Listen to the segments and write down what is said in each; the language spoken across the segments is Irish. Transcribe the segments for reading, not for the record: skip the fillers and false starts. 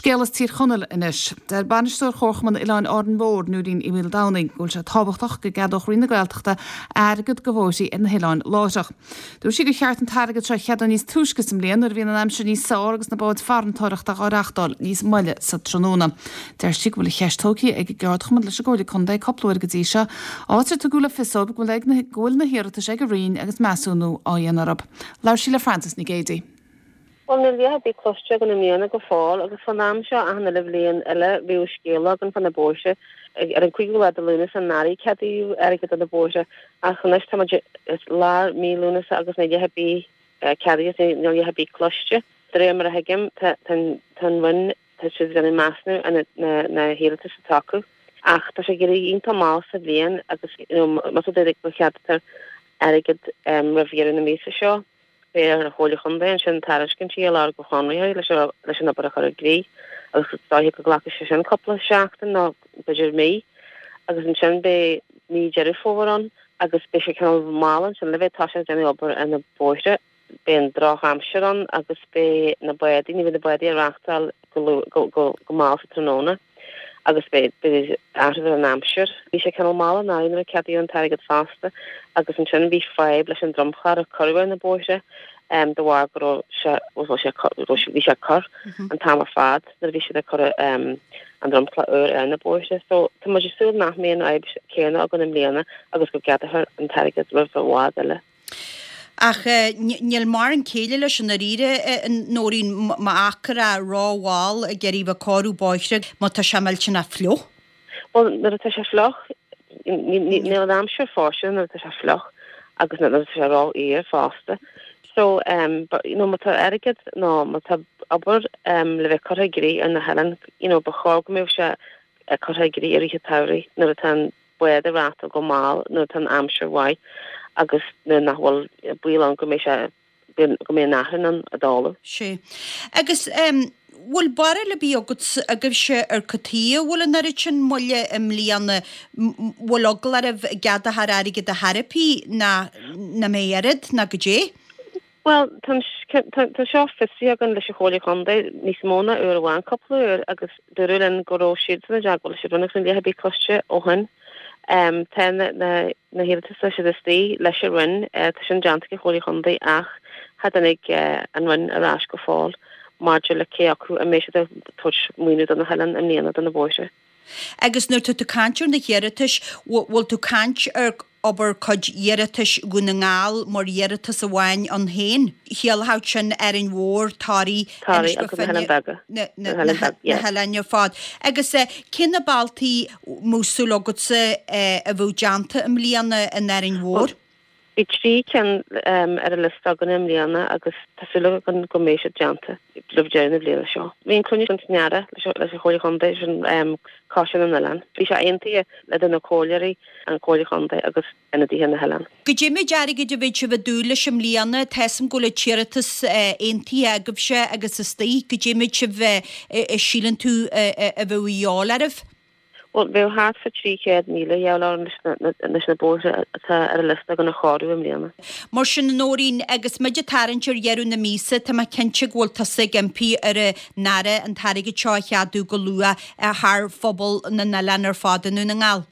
Scéal as Tír Chonaill anois. Deir Bainisteoir Chomharchumann Oileáin Árainn Mhór, Nóirín Uí Mhaoldomhnaigh, go bhfuil sé tábhachtach go gceadódh Roinn na Gaeltachta airgead do bhóithrí ar na hoileáin láithreach. Dúirt sí gur cheart an t-airgead seo a cheadú níos túisce sa mbliain nuair a bhíonn an aimsir níos fearr agus na báid farantóireachta á reachtáil níos moille sa tráthnóna. Deir sí go bhfuil an cheist tógtha ag an gceardchumann leis an gComhairle Contae cúpla uair go dtí seo, áit ar tugadh le fios dóibh go bhfuil na hiarratais ag an Roinn agus measúnú á dhéanamh orthu. Labhair sí le Frances Nic Géadaigh. Bhuel, níl a dhath ar bith cloiste againn i mbliana go fóill agus fán am seo achan uile bhliain eile bhíodh scéala againn fá na bóithre. Ar an 5ú lá de Lúnasa anuraidh ceadaíodh airgead do na bóithre ach anois tá muid i lár mí Lúnasa agus níl a dhath ar bith ceadaithe agus níl a dhath ar bith cloiste. De réir mar a thuigim tá an Roinn, tá siad ag déanamh measúnú ar na hiarratais atá acu. Ach tá sé ag éirí iontach mall sa bhliain agus you know más rud é go gceadaítear airgead roimh dheireadh na míosa seo, Beidh ar an Chomhairle Chontae ansin tairiscintí a lorg ó chonraitheoirí leis an obair a chur i gcrích agus is dóiche go nglacfaidh sé sin cúpla seachtain nó b'fhéidir mí agus ansin beidh mí Deireadh Fómhair ann agus beidh sé cineál mall ansin le bheith ag toiseacht ag déanamh obair ar na bóithre. Beidh an drochaimsir ann agus beidh na bádaí, ní bheidh na bádaí á reachtáil go mall sa tráthnóna. agus beidh athrú ar an aimsir. Bhí sé cineál mall anuraidh nuair a ceadaíodh an t-airgead fosta agus ansin bhí fadhb leis an dromchla a cuireadh ar na bóithre de bharr go raibh sé, bhí sé, bhí sé ag cur an t-am ar fad nuair a bhí siad ag cur an dromchla úr ar na bóithre. So tá muid ag súil nach mbeidh an fhadhb céanna againn i mbliana agus go gceadófar an t-airgead roimh i bhfad eile. Ach níl mórán céille leis i ndáiríre, a Nóirín, má fhágtar é rómhall ag iarraidh bheith ag cóiriú bóithre, má tá sé millteanach fliuch. Bhuel, nuair atá sé fliuch, níl an aimsir fóirsteanach nuair atá sé fliuch agus nuair atá sé rófhuar fosta. So, but, you know, má tá airgead nó má tá obair le bheith curtha i gcrích ar na hoileáin, you know, ba chóir go mbeadh sé curtha i gcrích i rith an tsamhraidh nuair atá an bád ag reachtáil go mall nuair atá an aimsir mhaith agus nuair nach bhfuil baol ann go mbeidh sé, go mbeidh an fhearthainn ann ag dul. Sea. Agus em bhfuil barúil ar bith agat, agaibhse ar cad chuige a bhfuil an oiread sin moille i mbliana, bhfuil eagla oraibh an gceadófar airgead ar chor ar bith ná nach mbeidh oiread ná goidé? Bhuel, tá tá seo fiosraithe againn leis an Chomhairle Chontae níos mó ná uair amháin, cúpla uair, agus dúradh linn go raibh siadsan i dteagmháil leis an Roinn agus níl a dhath ar bith cloiste ó shin. Tá na na hiarratais tá siad istigh leis an Roinn, tá sin déanta ag an Chomhairle Chontae ach cha dtáinig an Roinn ar ais go fóill maidir le cé acu an mbeidh siad ag tabhairt maoiniú do na hoileáin i mbliana do na bóithre. Agus nuair tá tú caint ar na hiarratais, bhfuil tú caint ar obair cuid iarratais Dhún na nGall mar iarratas amháin ann féin? Chiallódh sin Árainn Mhór, Toraigh, Inis Toraigh agus na hOileáin Bheaga. Na hoileáin ar fad. Agus cé na bealtaí a mbeadh súil agatsa a bheadh déanta i mbliana in Árainn Mhór? Bhí 3 cinn ar an liosta againn i mbliana agus tá súil againn go mbeidh siad déanta roimh deireadh na bliana seo. Bhí an cruinniú san earrach leis an Chomhairle Chontae, sin Coiste na nOileán. Bhí sé aontaithe idir na comhairleoirí, an Chomhairle Chontae agus ionadaithe na hoileán. Goidé méid airgid a bheidh sibh ag dúil leis i mbliana? Tá 'fhios a'm go bhfuil an t-iarratas aontaithe agaibhse agus istigh. Goidé méid sibh a síleann tú a bheadh a dhíobháil oraibh? Bhuel, bheadh thart fá 300,000 a dhíobháil orainn leis na bóithre atá ar an liosta againn a chóiriú i mbliana. Mar sin, a Nóirín, agus muid ag tarraingt ar dheireadh na míosa, tá mé cinnte go bhfuil tusa ag impí ar an Aire an t-airgead seo a cheadú go luath thar phobal na n-oileán ar fad i nDún na nGall.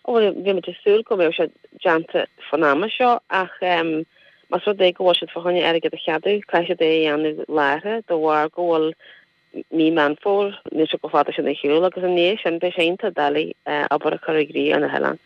Bhuel, bhí muid ag súil go mbeadh sé déanta fán ama seo ach más rud é go bhfuil siad fá choinne airgead a cheadú, caithfidh siad é a dhéanamh láithreach de bharr go bhfuil mí Meán Fómhair, níl sé chomh fada sin ar shiúl agus i ndiaidh sin beidh sé iontach doiligh obair a chur i gcrích ar na hoileáin.